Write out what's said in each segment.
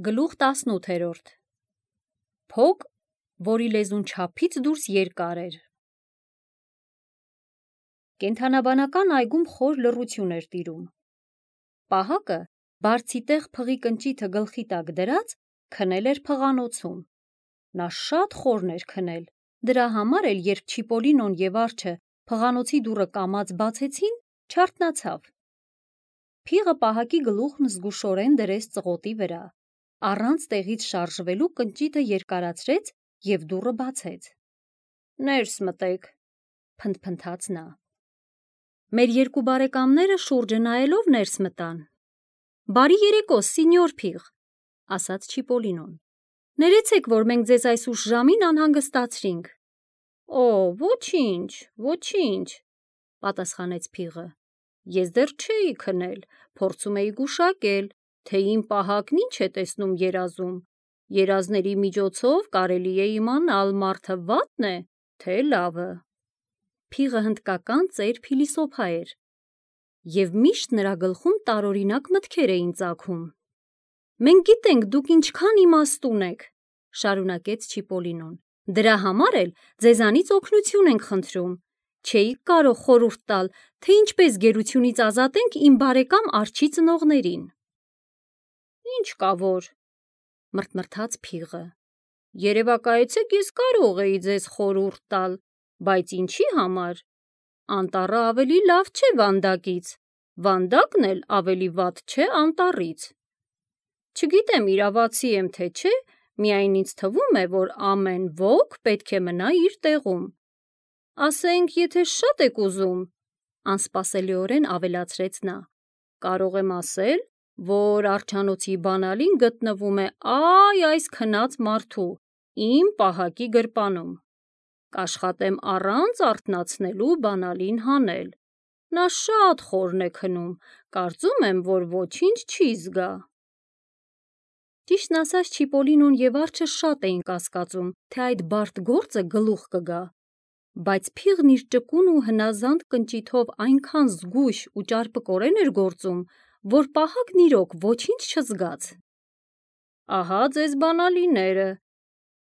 Գլուխ 18 Փոք, որի լեզուն չափից դուրս երկար էր։ Կենդանաբանական այգում խոր լռություն էր տիրում։ Պահակը, բարձի տեղ փղի կնճիթը գլխի տակ դրած, քնել էր փղանոցում։ Նա շատ խորն էր քնել, դրա համար էլ երբ Չիպոլինոն և Արջը փղանոցի դուռը կամաց բացեցին, չարթնացավ։ Փիղը պահակի գլուխն զգուշորեն դրեց ծղոտի վրա, առանց տեղից շարժվելու կնճիթը երկարացրեց և դուռը բացեց։ «Ներս մտեք», փնթփնթաց նա։ Մեր երկու բարեկամները շուրջը նայելով ներս մտան։ «Բարի երեկո, սինյոր Փիղ», ասաց Չիպոլինոն։ «Ներեցեք, որ մենք ձեզ այս ուշ ժամին անհանգստացրինք»։ «Օ, ոչինչ, ոչինչ», պատասխանեց Փիղը։ «Ես դեռ չէի քնել, փորձում էի գուշակել, թե իմ պահակն ինչ է տեսնում երազում։ Երազների միջոցով կարելի է իմանալ մարդը վատն է, թե լավը»։ Փիղը հնդկական ծեր փիլիսոփա էր, և միշտ նրա գլխում տարօրինակ մտքեր էին ծագում։ «Մենք գիտենք դուք ինչքան իմաստուն եք», շարունակեց Չիպոլինոն։ «Դրա համար էլ ձեզանից օգնություն ենք խնդրում։ Չէիք կարող խորհուրդ տալ, թե ինչպես գերությունից ազատենք իմ բարեկամ Արջի ծնողներին»։ «Ինչ կա որ», մռթմռթաց Փիղը։ «Երևակայեցեք, ես կարող էի ձեզ խորհուրդ տալ, բայց ինչի համար։ Անտառը ավելի լավ չէ վանդակից, վանդակն էլ ավելի վատ չէ անտառից։ Չգիտեմ իրավացի եմ թե չէ, միայն ինձ թվում է, որ ամեն ոք պետք է մնա իր տեղում։ Ասենք, եթե շատ եք ուզում», անսպասելիորեն ավելացրեց նա, «կարող եմ ասել, որ արձանոցի բանալին գտնվում է այս քնած մարդու, իմ պահակի գրպանում։ Կաշխատեմ առանց արթնացնելու բանալին հանել։ Նա շատ խորն է քնում, կարծում եմ, որ ոչինչ չի զգա»։ Ճիշտն ասած, Չիպոլինոն և Արջը շատ էին կասկածում, թե այդ բարդ գործը գլուխ կգա, բայց Փիղն իր ճկուն ու հնազանդ կնճիթով այնքան զգույշ ու ճարպկորեն էր գործում, որ պահակն իրոք ոչինչ չզգաց։ «Ահա ձեզ բանալիները»,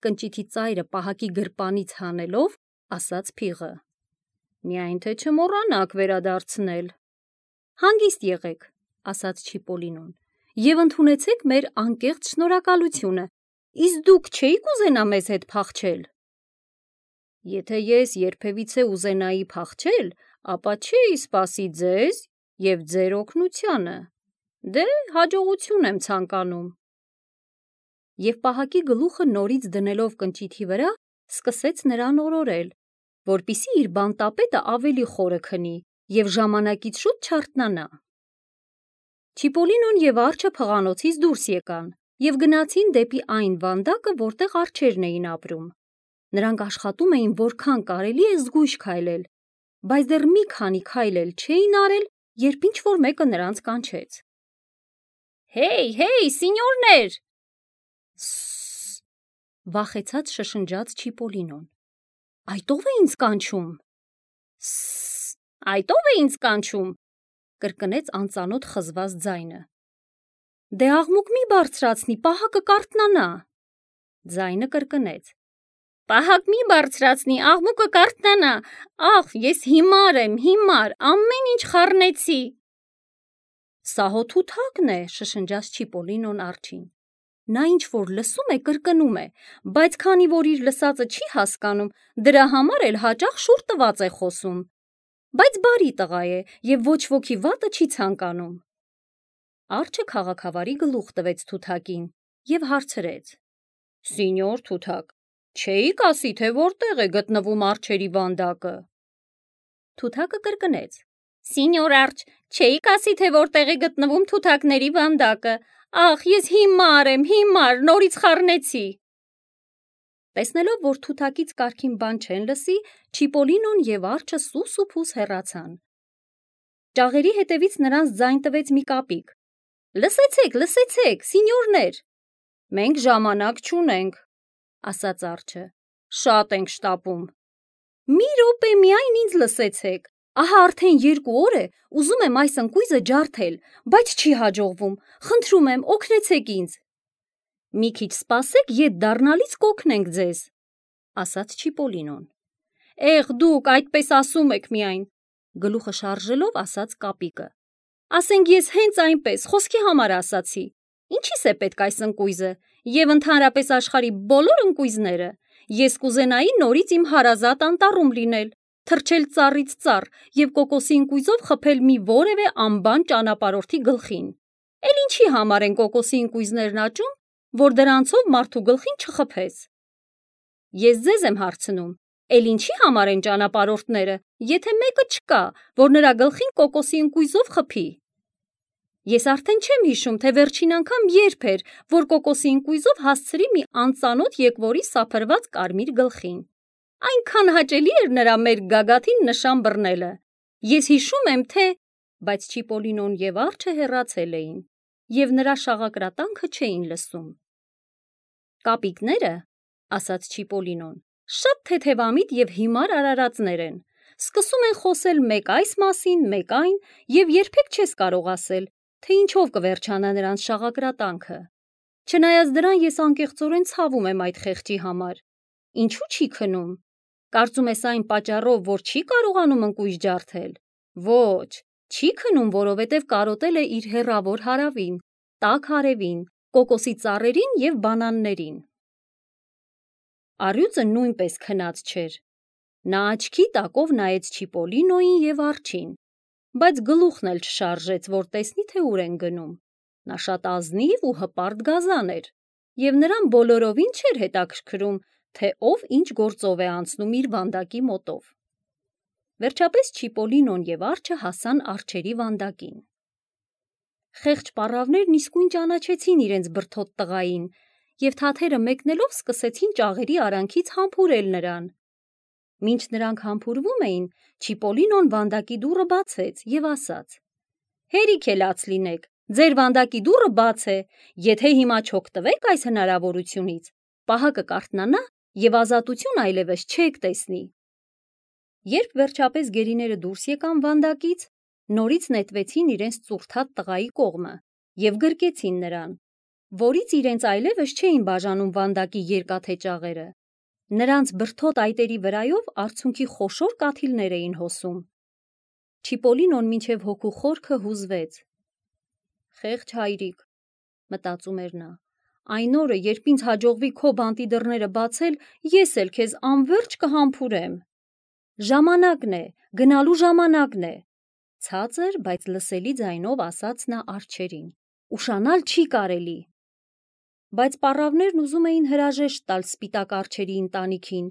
կնճիթի ծայրը պահակի գրպանից հանելով, ասաց Փիղը։ «Միայն թե չմոռանաք վերադարձնել»։ «Հանգիստ եղեք», ասաց Չիպոլինոն, «և ընդունեցեք մեր անկեղծ շնորհակալությունը։ Իսկ դուք չէիք ուզենա մեզ հետ փախչել»։ «Եթե ես երբևիցե ուզենայի փախչել, ապա չէի սպասի ձեզ և ձեր օգնությանը։ Դե, հաջողություն եմ ցանկանում»։ Եվ պահակի գլուխը նորից դնելով կնճիթի վրա, սկսեց նրան օրորել, որպեսզի իր բանտապետը ավելի խորը քնի և ժամանակից շուտ չարթնանա։ Չիպոլինոն և Արջը փղանոցից դուրս եկան և գնացին դեպի այն վանդակը, որտեղ արջերն էին ապրում։ Նրանք աշխատում էին որքան կարելի է զգույշ քայլել, բայց դեռ մի քանի քայլ էլ չէին արել, երբ ինչ-որ մեկը նրանց կանչեց։ «Հեյ, սինյորներ»։ «Սսս», վախեցած շշնջաց Չիպոլինոն։ «Այդ ո՞վ է ինձ կանչում»։ «Սսս, այդ ո՞վ է ինձ կանչում», կրկնեց անծանոթ խզված ձայնը։ «Դե աղմուկ մի բարձրացնի, պահակը կարթնանա», ձայնը կրկնեց։ «Պահակ մի բարձրացնի, աղմուկը կարթնանա, ախ, ես հիմար եմ, ամեն ինչ խառնեցի»։ «Սա հո թութակն է», շշնջաց Չիպոլինոն Արջին։ Նա ինչ-որ լսում է, կրկնում է, բայց քանի որ իր լսածը չի հասկանում, դրա համար էլ հաճախ շուռ տված է խոսում։ Բայց բարի տղա է և ոչ ոքի վատը չի ցանկանում։ Արջը քաղաքավարի գլուխ տվեց թութակին և հարցրեց. «Սինյոր թութակ, չէիք ասի, թե որտեղ է գտնվում արջերի վանդակը»։ Թութակը կրկնեց. «Սինյոր Արջ, չէիք ասի, թե որտեղ է գտնվում թութակների վանդակը։ Ախ, ես հիմար եմ, նորից խառնեցի»։ Տեսնելով, որ թութակից կարգին բան չեն լսի, Չիպոլինոն և Արջը սուս ու փուս հեռացան։ Ճաղերի հետևից նրանց ձայն տվեց մի կապիկ. Լսեցեք, սինյորներ։ «Մենք ժամանակ չունենք», ասաց Արջը։ «Շատ ենք շտապում»։ «Մի րոպե միայն ինձ լսեցեք։ Ահա արդեն 2 օր է, ուզում եմ այս ընկույզը ջարդել, բայց չի հաջողվում։ Խնդրում եմ, օգնեցեք ինձ»։ Մի քիչ սպասեք, ետ դառնալից կօգնենք ձեզ, ասաց Չիպոլինոն։ Եղ դուք այդպես ասում եք միայն, գլուխը շարժելով ասաց Կապիկը։ Ասենք ես հենց այնպես խոսքի համար ասացի։ Ինչի՞ս է պետք այս ընկույզը եւ ընդհանրապես աշխարհի բոլոր ընկույզները։ Ես կուզենայի նորից իմ հարազատ անտառում լինել, թռչել ծառից ծառ եւ կոկոսի ընկույզով խփել մի որևէ անբան ճանապարհորդի գլխին։ Էլ ինչի համար են կոկոսի ընկույզներն աճում, որ դրանցով մարդու գլխին չխփես։ Ես ձեզ եմ հարցնում, էլ ինչի համար են ճանապարհորդները, եթե մեկը չկա, որ նրա գլխին կոկոսի ընկույզով խփի։ Ես արդեն չեմ հիշում, թե վերջին անգամ երբ էր, որ կոկոսի ընկույզով հասցրի մի անծանոթ եկվորի սափրված կարմիր գլխին։ Այնքան հաճելի էր նրա մեր գագաթին նշան բռնելը։ Ես հիշում եմ, թե… Բայց Չիպոլինոն եւ արջը հեռացել էին, եւ նրա շաղակրատանքը չէին լսում։ Կապիկները, ասաց Չիպոլինոն, շատ թեթևամիտ եւ հիմար արարածներ են։ Սկսում են խոսել մեկ այս մասին, մեկ այն, եւ երբեք չես կարող ասել, թե ինչով կվերջանա նրանց շաղակրատանքը։ Չնայած դրան ես անկեղծորեն ցավում եմ այդ խեղճի համար։ Ինչու չի քնում։ Կարծում ես այն պատճառով, որ չի կարողանում ընկույզ ջարդել։ Ոչ, չի քնում, որովհետև կարոտել է իր հեռավոր հարավին, տաք հարևին, կոկոսի ծառերին եւ բանաններին։ Առյուծը նույնպես քնած չէր։ Նա աչքի տակով նայեց Չիպոլինոյին եւ արջին, բայց գլուխն էլ չշարժեց, որ տեսնի, թե ուր են գնում։ Նա շատ ազնիվ ու հպարտ գազան էր, եւ նրան բոլորովին չէր հետաքրքրում, թե ով ինչ գործով է անցնում իր վանդակի մոտով։ Վերջապես Չիպոլինոն եւ արջը հասան արջերի վանդակին։ Խեղճ պառավներն իսկույն ճանաչեցին իրենց բրդոտ տղային եւ թաթերը մեկնելով սկսեցին ճաղերի արանքից համբուրել նրան։ Մինչ նրանք համբուրվում էին, Չիպոլինոն վանդակի դուռը բացեց եւ ասաց. Հերիք է լաց լինեք, ձեր վանդակի դուռը բաց է, եթե հիմա չօգտվեք այս հնարավորությունից, պահակը կարթնանա եւ ազատություն այլևս չեք տեսնի։ Երբ վերջապես գերիները դուրս եկան վանդակից, նորից նետվեցին իրենց ծուրթատ տղայի կողմը եւ գրկեցին նրան, որից իրենց այլևս չէին բաժանում վանդակի երկաթե ճաղերը։ Նրանց բրդոտ այտերի վրայով արցունքի խոշոր կաթիլներ էին հոսում։ Չիպոլինոն մինչև հոգու խորքը հուզվեց։ Խեղճ հայրիկ, մտածում էր նա, այն օրը, երբ ինձ հաջողվի քո բանտի դռները բացել, ես էլ քեզ անվերջ կհամբուրեմ։ Ժամանակն է, գնալու ժամանակն է, ցածր, բայց լսելի ձայնով ասաց նա արջերին։ Ուշանալ չի կարելի։ Բայց պառավներն ուզում էին հրաժեշտ տալ սպիտակ արջերի ընտանիքին,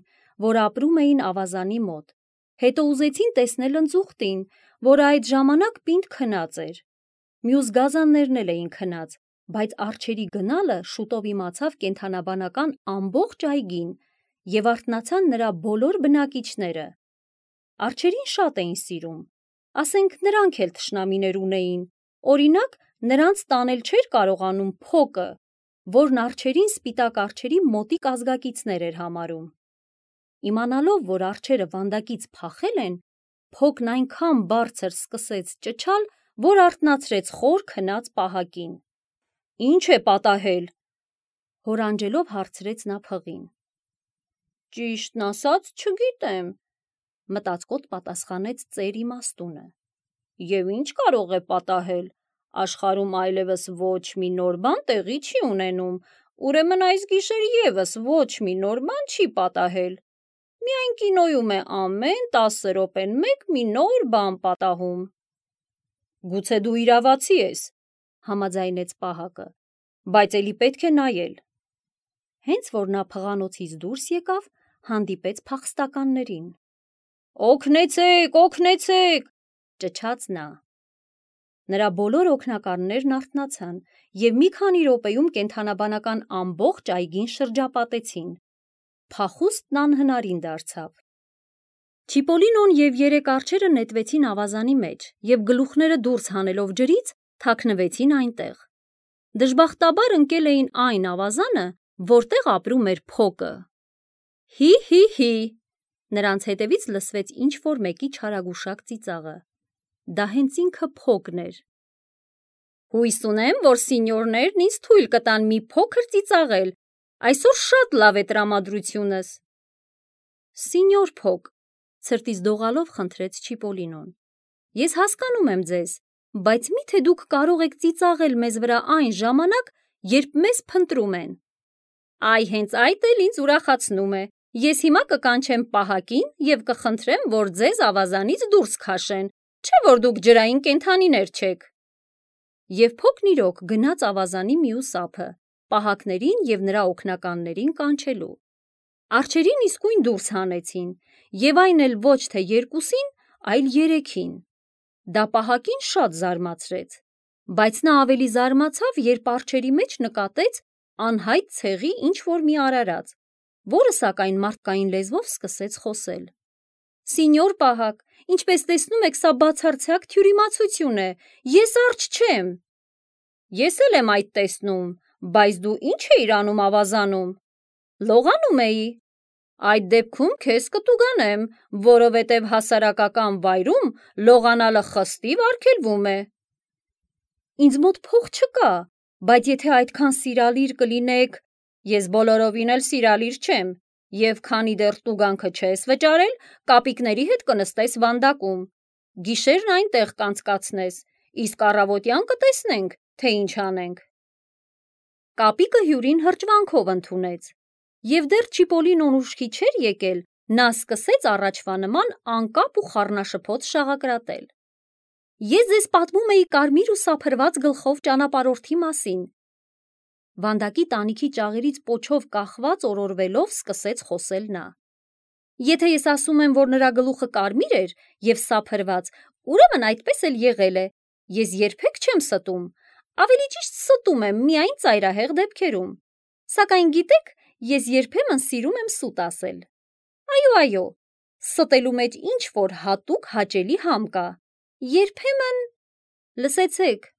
որ ապրում էին ավազանի մոտ։ Հետո ուզեցին տեսնել ընձուղտին, որը այդ ժամանակ պինդ քնած էր։ Մյուս գազաններն էլ էին քնած, բայց արջերի գնալը շուտով իմացավ կենդանաբանական ամբողջ այգին եւ արթնացան նրա բոլոր բնակիչները։ Արջերին շատ էին սիրում, ասենք նրանք էլ թշնամիներ ունեին, օրինակ նրանց տանել չէր կարողանում փոկը, որն արջերին սպիտակ արջերի մոտիկ ազգակիցներ էր համարում։ Իմանալով, որ արջերը վանդակից փախել են, փոկն այնքան բարձր սկսեց ճչալ, որ արթնացրեց խոր քնած պահակին։ Ինչ է պատահել, հորանջելով հարցրեց նա փղին։ Ճիշտն ասած, չգիտեմ, մտածկոտ պատասխանեց ծեր իմաստունը։ Եվ ինչ կարող է պատահել, աշխարհում այլևս ոչ մի նոր բան տեղի չի ունենում, ուրեմն այս գիշեր եւս ոչ մի նոր բան չի պատահել։ Միայն կինոյում է ամեն 10 րոպեն մեկ մի նոր բան պատահում։ Գուցե դու իրավացի ես, համաձայնեց պահակը, բայց էլի պետք է նայել։ Հենց որ նա փղանոցից դուրս եկավ, հանդիպեց փախստականներին։ Օգնեցեք, օգնեցեք, ճչաց նա։ Նրա բոլոր օգնականներն արթնացան եւ մի քանի րոպեում կենդանաբանական ամբողջ այգին շրջապատեցին։ Փախուստն անհնարին դարձավ։ Չիպոլինոն եւ 3 արջերը նետվեցին ավազանի մեջ եւ գլուխները դուրս հանելով ջրից թաքնվեցին այնտեղ։ Դժբախտաբար ընկել էին այն ավազանը, որտեղ ապրում էր փոկը։ Հի, նրանց հետևից լսվեց ինչ-որ մեկի չարագուշակ ծիծաղը։ Դա հենց ինքը փոկն էր։ Հույս ունեմ, որ սինյորներն ինձ թույլ կտան մի փոքր ծիծաղել, այսօր շատ լավ է տրամադրությունս։ Սինյոր Փոկ, ցրտից դողալով խնդրեց Չիպոլինոն, ես հասկանում եմ ձեզ, բայց մի՞թե դուք կարող եք ծիծաղել մեզ վրա այն ժամանակ, երբ մեզ փնտրում են։ Այ հենց այդ էլ ինձ ուրախացնում է, ես հիմա կկանչեմ պահակին և կխնդրեմ, որ ձեզ ավազանից դուրս քաշեն, չէ՞ որ դուք ջրային կենդանիներ չեք։ Եվ Փոքն իրոք գնաց ավազանի մյուս ափը, պահակներին և նրա օգնականներին կանչելու։ Արջերին իսկույն դուրս հանեցին, և այն էլ ոչ թե երկուսին, այլ երեքին։ Դա պահակին շատ զարմացրեց, բայց նա ավելի զարմացավ, երբ արջերի մեջ նկատեց անհայտ ցեղի ինչ-որ մի արարած, որը սակայն մարդկային լեզվով սկսեց խոսել։ Սինյոր պահակ, ինչպես տեսնում եք, սա բացարձակ թյուրիմացություն է, ես արջ չեմ։ Ես էլ եմ այդ տեսնում, բայց դու ի՞նչ էիր անում ավազանում։ Լողանում էի։ Այդ դեպքում քեզ կտուգանեմ, որովհետև հասարակական վայրում լողանալը խստիվ արգելվում է։ Ինձ մոտ փող չկա, բայց եթե այդքան սիրալիր կլինեք, ես բոլորովին էլ սիրալիր չեմ, և քանի դեռ տուգանքը չես վճարել, կապիկների հետ կնստես վանդակում, գիշերն այնտեղ կանցկացնես, իսկ առավոտյան կտեսնենք, թե ինչ անենք։ Կապիկը հյուրին հրճվանքով ընդունեց, և դեռ Չիպոլինոն ուշքի չէր եկել, նա սկսեց առաջվա նման անկապ ու խառնաշփոթ շաղակրատել։ Ես ձեզ պատմում էի կարմիր ու սափրված գլխով ճանապարհորդի մասին։ Վանդակի տանիքի ճաղերից պոչով կախված օրորվելով սկսեց խոսել նա։ Եթե ես ասում եմ, որ նրա գլուխը կարմիր էր և սափրված, ուրեմն այդպես էլ եղել է։ Ես երբեք չեմ ստում, ավելի ճիշտ ստում եմ միայն ծայրահեղ դեպքերում։ Սակայն գիտեք, ես երբեմն սիրում եմ սուտ ասել։ Այո, ստելու մեջ ինչ-որ հատուկ հաճելի համ կա։ Երբեմն… Լսեցեք,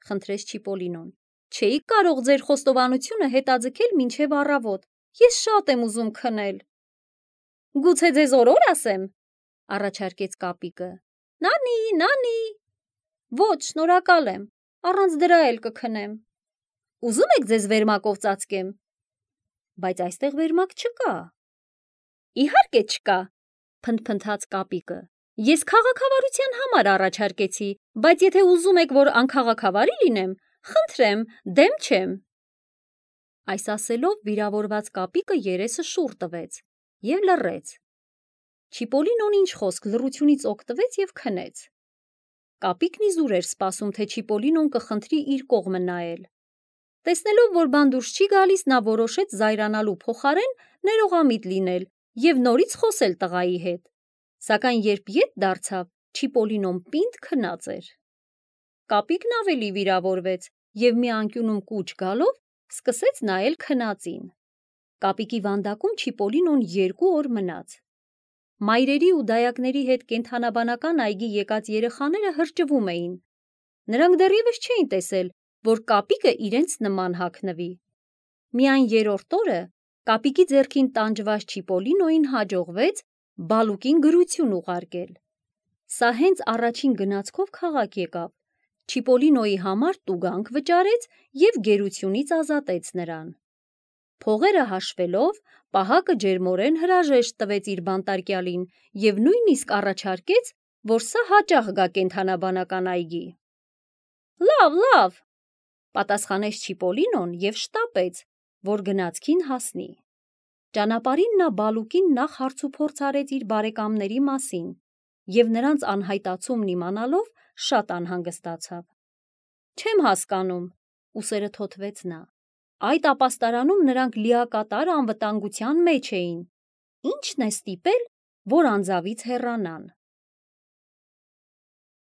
խնդրեց Չիպոլինոն, չէիք կարող ձեր խոստովանությունը հետաձգել մինչև առավոտ, ես շատ եմ ուզում քնել։ Գուցե ձեզ օրոր ասեմ, առաջարկեց Կապիկը։ Նանի… Ոչ, շնորհակալ եմ, առանց դրա էլ կքնեմ։ Ուզում եք ձեզ վերմակով ծածկեմ։ Բայց այստեղ վերմակ չկա։ Իհարկե չկա, փնթփնթաց Կապիկը։ Ես քաղաքավարության համար առաջարկեցի, բայց եթե ուզում եք, որ անքաղաքավարի լինեմ, խնդրեմ, դեմ չեմ։ Այս ասելով վիրավորված Կապիկը երեսը շուռ տվեց և լռեց։ Չիպոլինոն ինչ խոսք լռությունից օգտվեց և քնեց։ Կապիկն իզուր էր սպասում, թե Չիպոլինոն կխնդրի իր կողմը նայել։ Տեսնելով, որ բան դուրս չի գալիս, նա որոշեց զայրանալու փոխարեն ներողամիտ լինել և նորից խոսել տղայի հետ։ Սակայն երբ ետ դարձավ, Չիպոլինոն պինդ քնած էր։ Կապիկն ավելի վիրավորվեց և մի անկյունում կուչ գալով սկսեց նայել քնածին։ Կապիկի վանդակում Չիպոլինոն 2 օր մնաց։ Մայրերի ու դայակների հետ կենդանաբանական այգի եկած երեխաները հրճվում էին։ Նրանք դեռևս չէին տեսել, որ Կապիկը իրենց նման հագնվի։ Միայն 3-րդ օրը Կապիկի ձեռքին տանջված Չիպոլինոյին հաջողվեց բալուկին գրություն ուղարկել։ Սա հենց առաջին գնացքով քաղաք եկավ, Չիպոլինոյի համար տուգանք վճարեց և գերությունից ազատեց նրան։ Փողերը հաշվելով, պահակը ջերմորեն հրաժեշտ տվեց իր բանտարկյալին և նույնիսկ առաջարկեց, որ սա հաճախ գա կենդանաբանական այգի։ Լավ, պատասխանեց Չիպոլինոն և շտապեց, որ գնացքին հասնի։ Ճանապարհին նա բալուկին նախ հարցուփորձ արեց իր բարեկամների մասին և նրանց անհայտացումն իմանալով շատ անհանգստացավ։ Չեմ հասկանում, ուսերը թոթվեց նա։ Այդ ապաստարանում նրանք լիակատար անվտանգության մեջ էին։ Ի՞նչն է ստիպել, որ անձավից հեռանան։